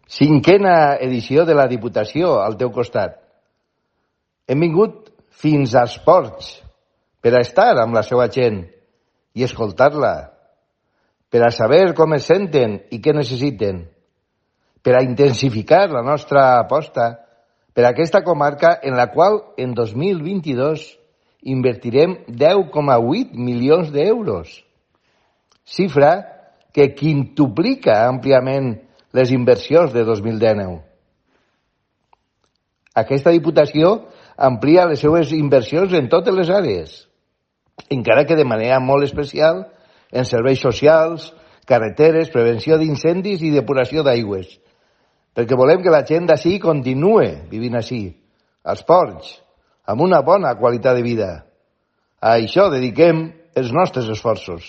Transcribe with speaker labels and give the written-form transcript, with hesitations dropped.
Speaker 1: 5a edició de la Diputació al teu costat. Hem vingut fins als ports per a estar amb la seva gent i escoltar-la, per a saber com es senten i què necessiten, per a intensificar la nostra aposta per a aquesta comarca en la qual en 2022 invertirem 10,8 milions d'euros, xifra que quintuplica àmpliament les inversions de 2019. Aquesta Diputació amplia les seues inversions en totes les àrees, encara que de manera molt especial en serveis socials, carreteres, prevenció d'incendis i depuració d'aigües, perquè volem que la gent d'ací continue vivint ací, als ports, amb una bona qualitat de vida. A això dediquem els nostres esforços.